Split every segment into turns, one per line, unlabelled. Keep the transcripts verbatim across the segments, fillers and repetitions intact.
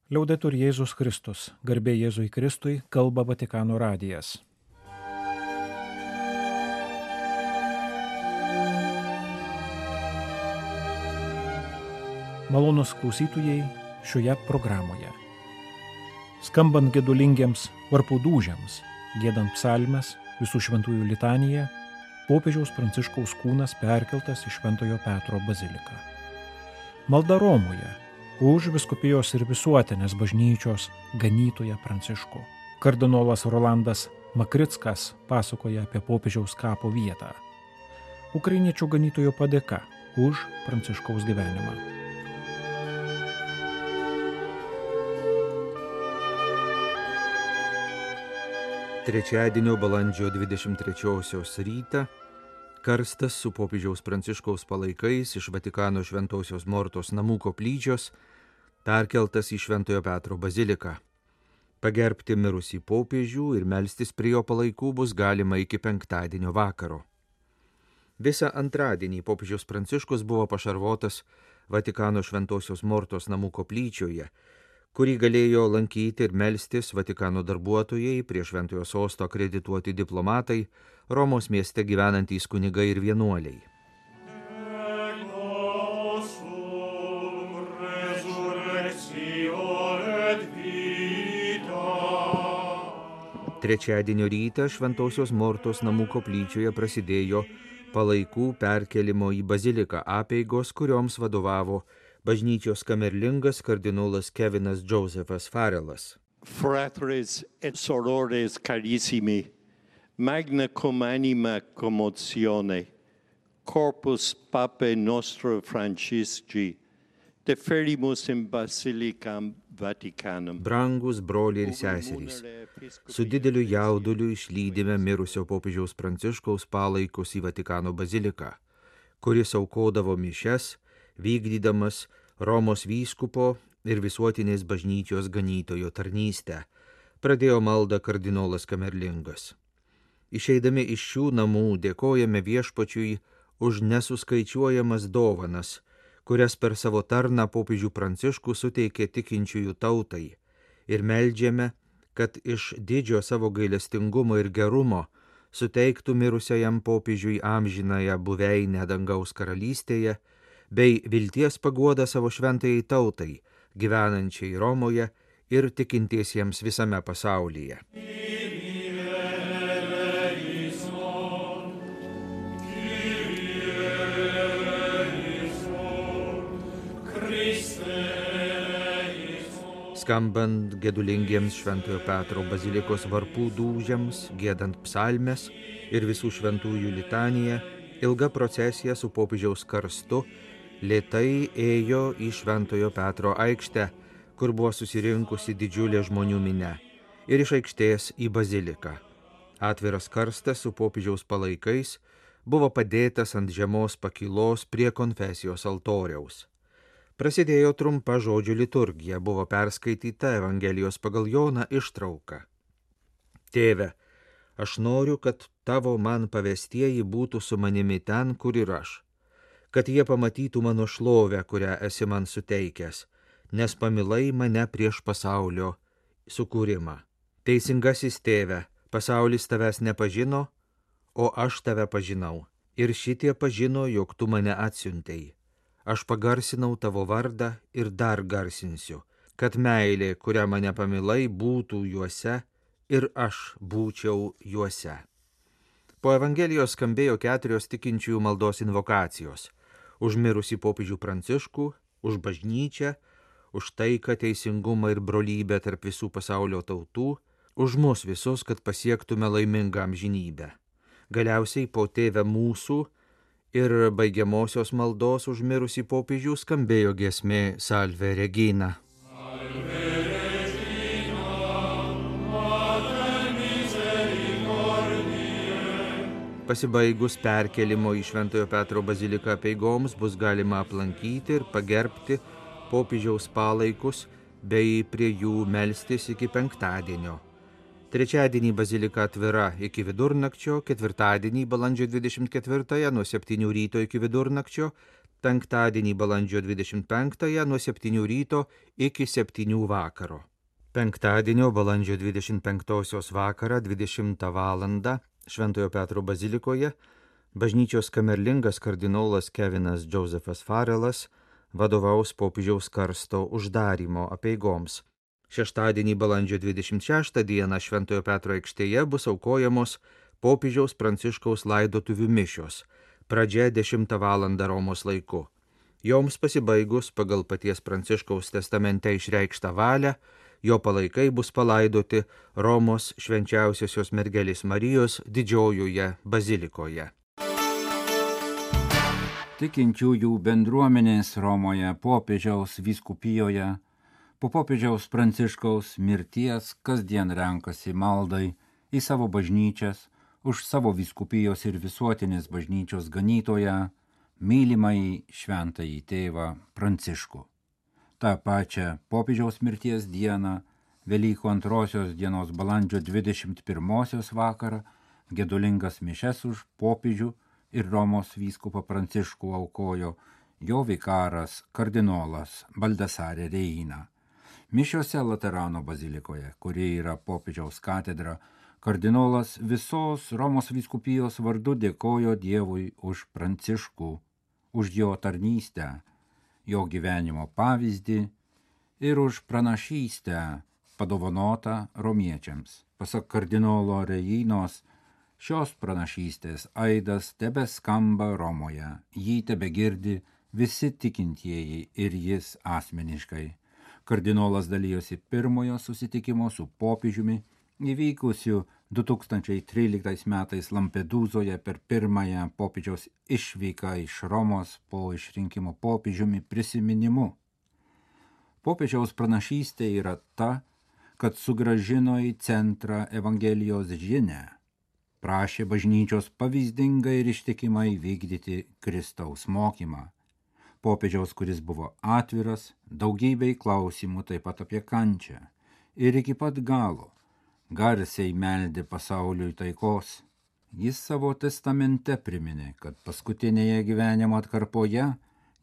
Liaudetur Jėzus Kristus, garbė Jėzui Kristui, kalba Vatikano radijas. Malonus klausytojai šioje programoje. Skambant gedulingiems varpų dūžiams, giedant psalmes, visų šventųjų litaniją, popiežiaus Pranciškaus kūnas perkeltas į Šventojo Petro baziliką. Malda Romoje už vyskupijos ir visuotinės bažnyčios ganytoją Pranciškų. Kardinolas Rolandas Makrickas pasakoja apie popiežiaus kapo vietą. Ukrainiečių ganytojo padėka už Pranciškaus gyvenimą.
Trečiadienio balandžio dvidešimt trečiosios rytą karstas su popiežiaus Pranciškaus palaikais iš Vatikano Šventosios Mortos namų koplyčios perkeltas į Šventojo Petro baziliką. Pagerbti mirusį popiežių ir melstis prie jo palaikų bus galima iki penktadienio vakaro. Visą antradienį popiežius Pranciškus buvo pašarvotas Vatikano Šventosios Mortos namų koplyčioje, kurį galėjo lankyti ir melstis Vatikano darbuotojai, prie Šventojo sosto akredituoti diplomatai, Romos mieste gyvenantys kunigai ir vienuoliai. Trečiadienio rytą Šventosios Mortos namų koplyčioje prasidėjo palaikų perkelimo į baziliką apeigos, kurioms vadovavo bažnyčios kamerlingas kardinolas Kevinas Džozefas Farelas.
Fratres et sorores carissimi, magna cum anima commozione, corpus papae nostro Francisci, deferimus in basilicam Vaticanum.
Brangus broliai ir seserys, su dideliu jauduliu išlydime mirusio popiežiaus Pranciškaus palaikus į Vatikano baziliką, kuris aukodavo mišias, vykdydamas Romos vyskupo ir visuotinės bažnyčios ganytojo tarnystę, pradėjo maldą kardinolas Kamerlingas. Išeidami iš šių namų dėkojame Viešpačiui už nesuskaičiuojamas dovanas, kurias per savo tarną popiežių Pranciškų suteikė tikinčiųjų tautai, ir meldžiame, kad iš didžio savo gailestingumo ir gerumo suteiktų mirusiajam popiežiui amžinąją buveinę dangaus karalystėje, bei vilties paguodą savo šventajai tautai, gyvenančiai Romoje ir tikintiesiems visame pasaulyje. Skambant gedulingiems Šventojo Petro bazilikos varpų dūžiams, giedant psalmes ir visų šventųjų litaniją, ilga procesija su popiežiaus karstu lėtai ėjo į Šventojo Petro aikštę, kur buvo susirinkusi didžiulė žmonių minia, ir iš aikštės į baziliką. Atviras karstas su popiežiaus palaikais buvo padėtas ant žemos pakylos prie konfesijos altoriaus. Prasidėjo trumpa žodžių liturgija, buvo perskaityta Evangelijos pagal Joną ištrauka. Tėve, aš noriu, kad tavo man pavestieji būtų su manimi ten, kur ir aš, kad jie pamatytų mano šlovę, kurią esi man suteikęs, nes pamilai mane prieš pasaulio sukūrimą. Teisingasis tėve, pasaulis tavęs nepažino, o aš tave pažinau, ir šitie pažino, jog tu mane atsiuntei. Aš pagarsinau tavo vardą ir dar garsinsiu, kad meilė, kurią mane pamilai, būtų juose ir aš būčiau juose. Po Evangelijos skambėjo keturios tikinčiųjų maldos invokacijos – už mirusį popiežių Pranciškų, už bažnyčią, už taiką, teisingumą ir brolybę tarp visų pasaulio tautų, už mus visus, kad pasiektume laimingą amžinybę. Galiausiai po Tėve mūsų ir baigiamosios maldos už mirusį popiežių skambėjo giesmė Salve Regina. Pasibaigus perkelimo į Šventojo Petro baziliką apeigoms bus galima aplankyti ir pagerbti popiežiaus palaikus bei prie jų melstis iki penktadienio. Trečiadienį bazilika atvira iki vidurnakčio, ketvirtadienį balandžio dvidešimt ketvirtąją nuo septynių ryto iki vidurnakčio, penktadienį balandžio dvidešimt penktąją nuo septynių ryto iki septynių vakaro. Penktadienio balandžio dvidešimt penktosios vakarą dvidešimtą valandą Šventojo Petro bazilikoje bažnyčios kamerlingas kardinolas Kevinas Džozefas Farelas vadovaus popiežiaus karsto uždarymo apeigoms. Šeštadienį balandžio dvidešimt šeštą dieną Šventojo Petro aikštėje bus aukojamos popiežiaus Pranciškaus laidotuvių mišios, pradžia dešimtą valandą Romos laiku. Joms pasibaigus pagal paties Pranciškaus testamente išreikštą valią, jo palaikai bus palaidoti Romos švenčiausiosios mergelės Marijos didžiojoje bazilikoje.
Tikinčiųjų bendruomenės Romoje popiežiaus vyskupijoje po popiežiaus Pranciškaus mirties kasdien renkasi maldai į savo bažnyčias už savo vyskupijos ir visuotinės bažnyčios ganytoją, mylimąjį šventąjį tėvą Pranciškų. Ta pačia popiežiaus mirties dieną, Velykų antrosios dienos balandžio dvidešimt pirmosios vakarą, gedulingas mišias už popiežių ir Romos vyskupą Pranciškų aukojo jo vikaras kardinolas Baldasare Reina. Mišiose Laterano bazilikoje, kuri yra popiežiaus katedra, kardinolas visos Romos vyskupijos vardu dėkojo Dievui už Pranciškų, už jo tarnystę, jo gyvenimo pavyzdį ir už pranašystę padovanotą romiečiams. Pasak kardinolo Reinos, šios pranašystės aidas tebeskamba Romoje, jį tebegirdi visi tikintieji ir jis asmeniškai. Kardinolas dalijosi pirmojo susitikimo su popiežiumi įvykusiu du tūkstančiai tryliktais metais Lampedūzoje per pirmąją popiežiaus išvyką iš Romos po išrinkimo popiežiumi prisiminimu. Popiežiaus pranašystė yra ta, kad sugrąžino į centrą Evangelijos žinią, prašė bažnyčios pavyzdingai ir ištikimai vykdyti Kristaus mokymą. Popiežiaus, kuris buvo atviras daugybei klausimų taip pat apie kančią ir iki pat galo garsiai meldė pasauliui taikos. Jis savo testamente priminė, kad paskutinėje gyvenimo atkarpoje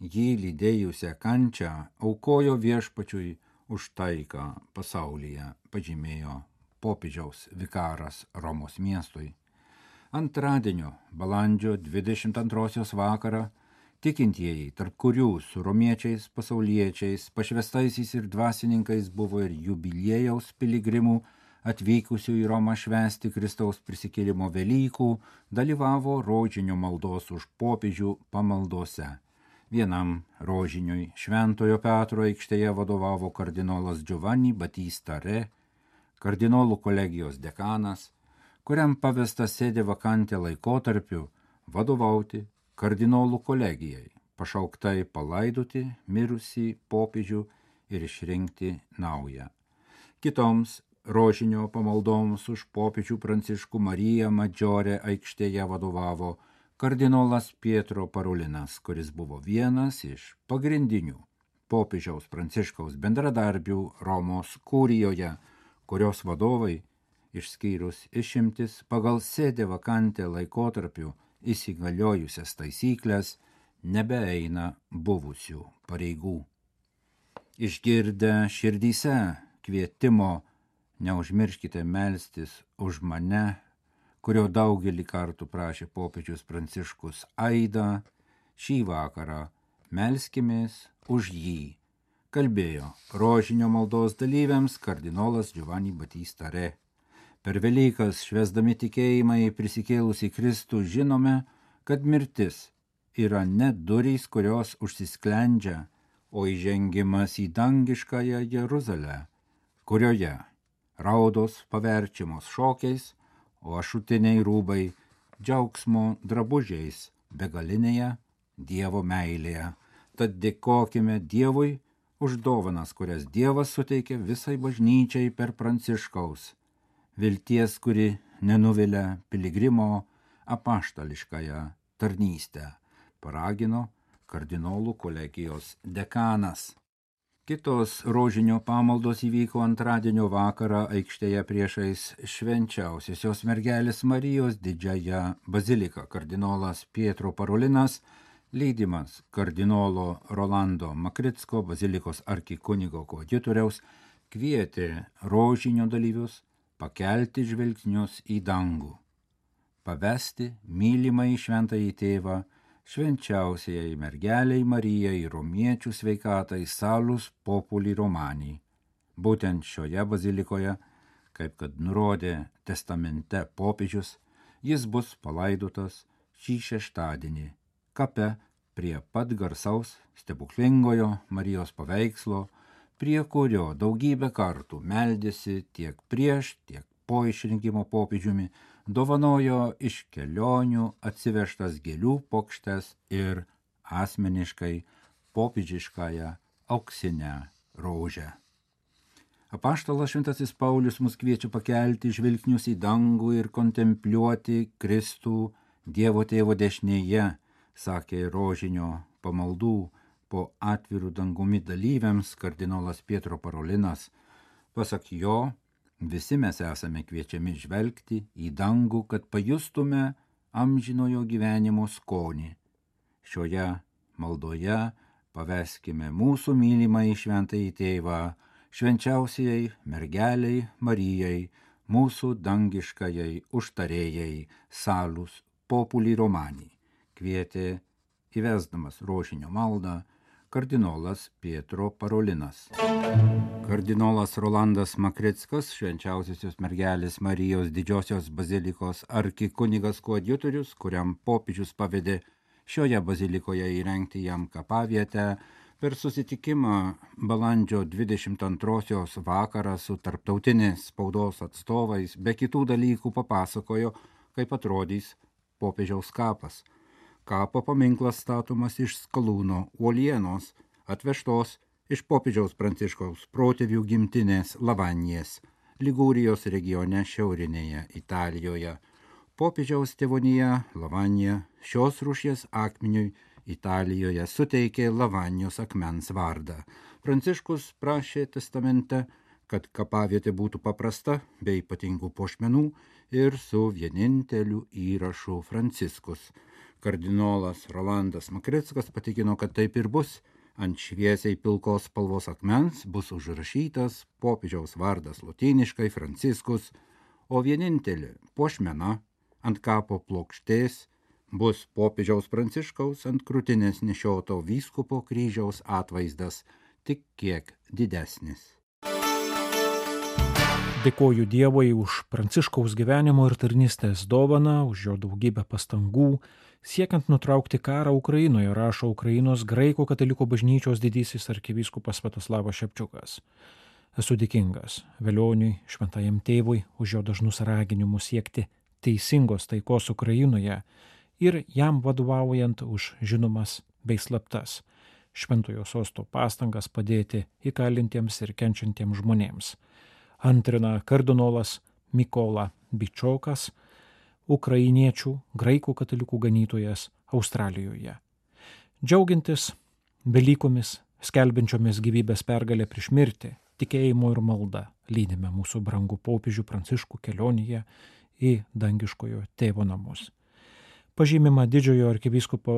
jį lydėjusią kančią aukojo viešpačiui už taiką pasaulyje, pažymėjo popiežiaus vikaras Romos miestui. Antradienio balandžio dvidešimt antrosios vakarą tikintieji, tarp kurių su romiečiais, pasauliečiais, pašvestaisiais ir dvasininkais buvo ir jubiliejaus piligrimų atvykusių į Romą švęsti Kristaus prisikėlimo Velykų, dalyvavo rožinio maldos už popiežių pamaldose. Vienam rožiniui Šventojo Petro aikštėje vadovavo kardinolas Giovanni Battista Re, kardinolų kolegijos dekanas, kuriam pavesta sėdė vakantė laikotarpiu vadovauti kardinolų kolegijai, pašauktai palaidoti mirusį popiežių ir išrinkti naują. Kitoms rožinio pamaldoms už popiežių Pranciškų Mariją Madžiorę aikštėje vadovavo kardinolas Pietro Parolinas, kuris buvo vienas iš pagrindinių popiežiaus Pranciškaus bendradarbių Romos kurijoje, kurios vadovai, išskyrus išimtis pagal sėdė vakantę laikotarpiu įsigaliojusias taisyklės, nebeeina buvusių pareigų. Išgirdę širdyse kvietimo neužmirškite melstis už mane, kurio daugelį kartų prašė popiežius Pranciškus aidą, šį vakarą melskimės už jį, kalbėjo rožinio maldos dalyviams kardinolas Giovanni Battista Re. Per Velykas švęsdami tikėjimą į prisikėlusį Kristų žinome, kad mirtis yra ne durys, kurios užsisklendžia, o įžengimas į dangiškąją Jeruzalę, kurioje raudos paverčiamos šokiais, o ašutiniai rūbai džiaugsmo drabužiais begalinėje Dievo meilėje. Tad dėkokime Dievui už dovanas, kurias Dievas suteikė visai bažnyčiai per Pranciškaus, vilties, kuri nenuvilia piligrimo apaštališkąją tarnystę, paragino kardinolų kolegijos dekanas. Kitos rožinio pamaldos įvyko antradienio vakarą aikštėje priešais švenčiausiosios mergelės Marijos didžiąją baziliką. Kardinolas Pietro Parolinas Leidimas kardinolo Rolando Makricko, bazilikos arkikunigo koadjutoriaus, kvietė rožinio dalyvius pakelti žvelgsnius į dangų, pavesti mylimąjį šventąjį tėvą, švenčiausiai mergeliai Marijai, romiečių sveikatai, salus populi romani. Būtent šioje bazilikoje, kaip kad nurodė testamente popiežius, jis bus palaidotas šį šeštadienį kape prie pat garsaus stebuklingojo Marijos paveikslo, prie kurio daugybę kartų meldėsi tiek prieš, tiek po išrinkimo popiežiumi, dovanojo iš kelionių atsivežtas gėlių puokštes ir asmeniškai popiežiškąją auksinę rožę. Apaštalas šventasis Paulius mus kviečia pakelti žvilgsnius į dangų ir kontempliuoti Kristų Dievo tėvo dešinėje, sakė rožinio pamaldų po atvirų dangumi dalyviams kardinolas Pietro Parolinas. Pasak jo, visi mes esame kviečiami žvelgti į dangų, kad pajustume amžinojo gyvenimo skonį. Šioje maldoje paveskime mūsų mylimąjį šventąjį tėvą, švenčiausiai mergeliai Marijai, mūsų dangiškajai užtarėjai, salus populi romani, kvietė įvesdamas rožinio maldą kardinolas Pietro Parolinas. Kardinolas Rolandas Makrickas, švenčiausiosios mergelės Marijos didžiosios bazilikos arkikunigas koadjutorius, kuriam popiežius pavedė šioje bazilikoje įrengti jam kapavietę, per susitikimą balandžio dvidešimt antrosios vakarą su tarptautinės spaudos atstovais be kitų dalykų papasakojo, kaip atrodys popiežiaus kapas. Kapo paminklas statomas iš skalūno uolienos, atvežtos iš popiežiaus Pranciškaus protėvių gimtinės Lavanijas, Ligūrijos regione šiaurinėje Italijoje. Popiežiaus tėvonija Lavanija šios rūšies akmeniui Italijoje suteikė Lavanijos akmens vardą. Pranciškus prašė testamente, kad kapavietė būtų paprasta, be ypatingų puošmenų ir su vieninteliu įrašu Franciskus. Kardinolas Rolandas Makrickas patikino, kad taip ir bus. Ant šviesiai pilkos spalvos akmens bus užrašytas popiežiaus vardas lotyniškai Franciskus, o vienintelė puošmena ant kapo plokštės bus popiežiaus Pranciškaus ant krūtinės nešioto vyskupo kryžiaus atvaizdas, tik kiek didesnis.
Dėkoju Dievui už Pranciškaus gyvenimo ir tarnystės dovaną, už jo daugybę pastangų, siekiant nutraukti karą Ukrainoje, rašo Ukrainos graikų katalikų bažnyčios didysis arkivyskupas Sviatoslavas Šepčiukas. Esu dėkingas Velioniui, šventajam tėvui, už jo dažnus raginimus siekti teisingos taikos Ukrainoje ir jam vadovaujant už žinomas bei slaptas šventojo sosto pastangas padėti įkalintiems ir kenčiantiems žmonėms. Antrina kardinolas Mykola Bičokas, ukrainiečių graikų katalikų ganytojas Australijoje. Džiaugintis Velykomis, skelbiančiomis gyvybės pergalę prieš mirtį, tikėjimo ir malda lydime mūsų brangų popiežių Pranciškų kelionėje į dangiškojo tėvo namus. Pažymima didžiojo arkivyskupo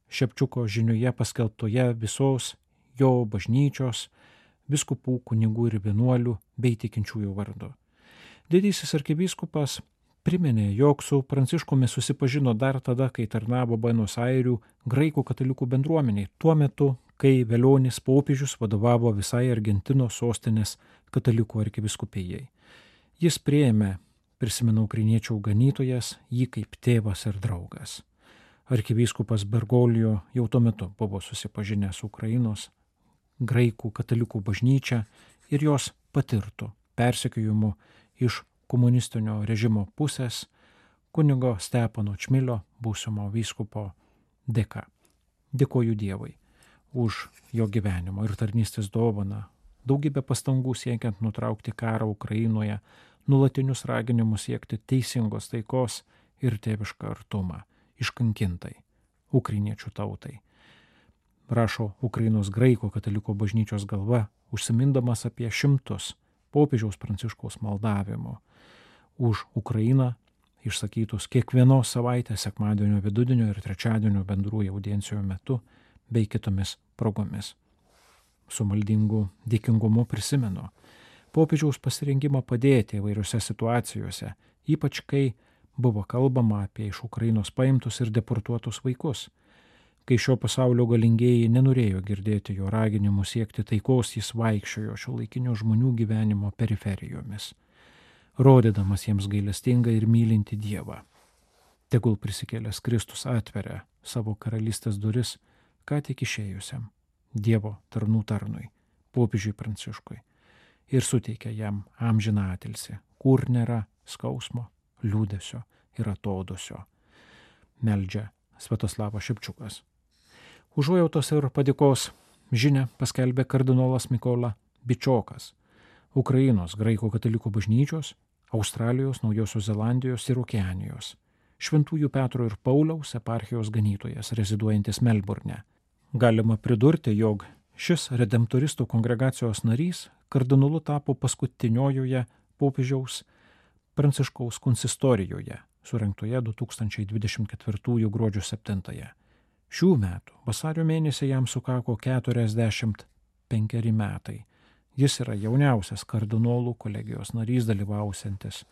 Šepčiuko žinioje paskelbtoje visos jo bažnyčios, viskupų, kunigų ir vienuolių bei tikinčiųjų vardu. Didysis arkivyskupas priminė, jog su Pranciškumi susipažino dar tada, kai tarnavo Buenos Airių graikų katalikų bendruomeniai, tuo metu, kai Velionis popiežius vadovavo visai Argentinos sostinės katalikų arkivyskupijai. Jis priėmė, prisimena ukrainiečių ganytojas, jį kaip tėvas ir draugas. Arkivyskupas Bergoglio jau tuo metu buvo susipažinęs su Ukrainos graikų katalikų bažnyčia ir jos patirtų persekiojimu iš komunistinio režimo pusės kunigo Stepano Čmilio, būsimo vyskupo dėka. Dėkoju Dievui už jo gyvenimo ir tarnystės dovaną, daugybę pastangų siekiant nutraukti karą Ukrainoje, nuolatinius raginimus siekti teisingos taikos ir tėvišką artumą iškankintai ukrainiečių tautai. Rašo Ukrainos graikų katalikų bažnyčios galva, užsimindamas apie šimtus popiežiaus Pranciškaus maldavimo už Ukrainą, išsakytus kiekvienos savaitės sekmadienio, vidudienio ir trečiadienio bendrųjų audiencijų metu bei kitomis progomis. Su maldingu dėkingumu prisimenu popiežiaus pasirengimą padėti įvairiose situacijose, ypač kai buvo kalbama apie iš Ukrainos paimtus ir deportuotus vaikus. Kai šio pasaulio galingieji nenorėjo girdėti jo raginimų siekti taikos, jis vaikščiojo šiuolaikinių žmonių gyvenimo periferijomis, rodydamas jiems gailestingą ir mylintį Dievą. Tegul prisikėlęs Kristus atveria savo karalystės duris ką tik išėjusiam Dievo tarnų tarnui, popiežiui Pranciškui, ir suteikia jam amžiną atilsį, kur nėra skausmo, liūdesio ir atodusio. Meldžia Sviatoslavas Šepčiukas. Užuojautos ir padėkos žinią paskelbė kardinolas Mykola Bičiokas, Ukrainos graikų katalikų bažnyčios, Australijos, Naujosios Zelandijos ir Okeanijos, Šventųjų Petro ir Pauliaus eparchijos ganytojas, reziduojantis Melburne. Galima pridurti, jog šis redemptoristų kongregacijos narys kardinolu tapo paskutiniojoje popiežiaus Pranciškaus konsistorijoje, surengtoje du tūkstančiai dvidešimt ketvirtųjų gruodžio septintąją. Šių metų vasario mėnesį jam sukako keturiasdešimt penkeri metai. Jis yra jauniausias kardinolų kolegijos narys dalyvausiantis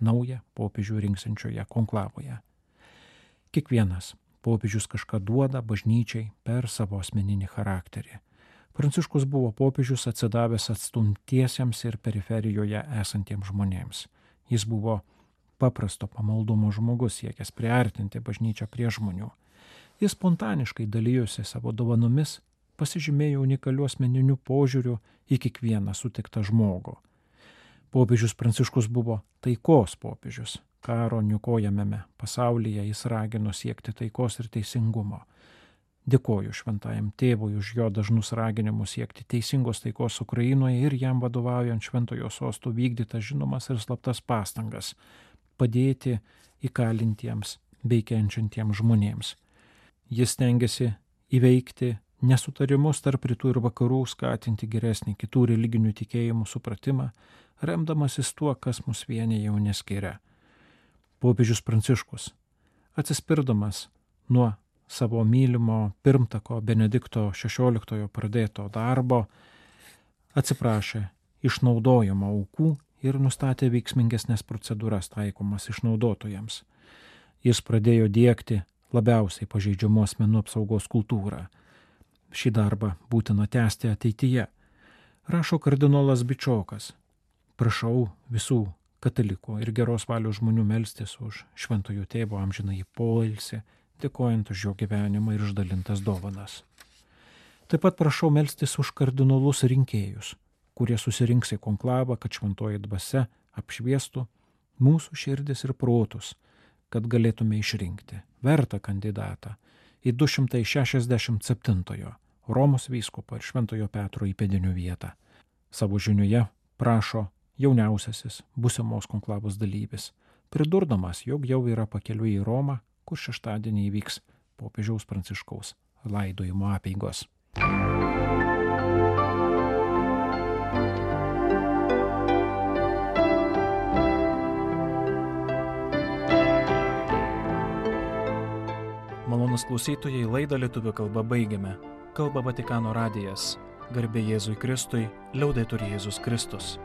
naują popiežių rinksiančioje konklavoje. Kiekvienas popiežius kažką duoda bažnyčiai per savo asmeninį charakterį. Pranciškus buvo popiežius atsidavęs atstumtiesiems ir periferijoje esantiems žmonėms. Jis buvo paprasto pamaldumo žmogus, siekęs priartinti bažnyčią prie žmonių. Jis spontaniškai dalijosi savo dovanomis, pasižymėjo unikaliu asmeniniu požiūriu į kiekvieną sutiktą žmogų. Popiežius Pranciškus buvo taikos popiežius. Karo niokojamame pasaulyje jis ragino siekti taikos ir teisingumo. Dėkoju šventajam tėvui už jo dažnus raginimus siekti teisingos taikos Ukrainoje ir jam vadovaujant šventojo sosto vykdytas žinomas ir slaptas pastangas padėti įkalintiems bei kenčiantiems žmonėms. Jis stengiasi įveikti nesutarimus tarp rytų ir vakarų, skatinti geresnį kitų religinių tikėjimų supratimą, remdamasis tuo, kas mus vienija, jau neskiria. Popiežius Pranciškus, atsispirdamas nuo savo mylimo pirmtako Benedikto šešioliktojo pradėto darbo, atsiprašė išnaudojimo aukų ir nustatė veiksmingesnės procedūras taikomas išnaudotojams. Jis pradėjo diegti labiausiai pažeidžiamų asmenų apsaugos kultūrą. Šį darbą būtina tęsti ateityje. Rašo kardinolas Bičiokas. Prašau visų katalikų ir geros valios žmonių melstis už šventojo tėvo amžinąjį poilsį, dėkojant už jo gyvenimą ir išdalintas dovanas. Taip pat prašau melstis už kardinolus rinkėjus, kurie susirinks į konklavą, kad šventoji dvasia apšviestų mūsų širdis ir protus, kad galėtume išrinkti vertą kandidatą į du šimtai šešiasdešimt septintojo Romos vyskupo ir šventojo Petro įpėdinių vietą. Savo žinioje prašo jauniausiasis būsimos konklavos dalyvis, pridurdamas, jog jau yra pakeliui į Romą, kur šeštadienį įvyks popiežiaus Pranciškaus laidojimo apeigos. Malonus klausytojai, laidą lietuvių kalba baigiame. Kalba Vatikano radijas. Garbė Jėzui Kristui, liaudetur Jėzus Kristus.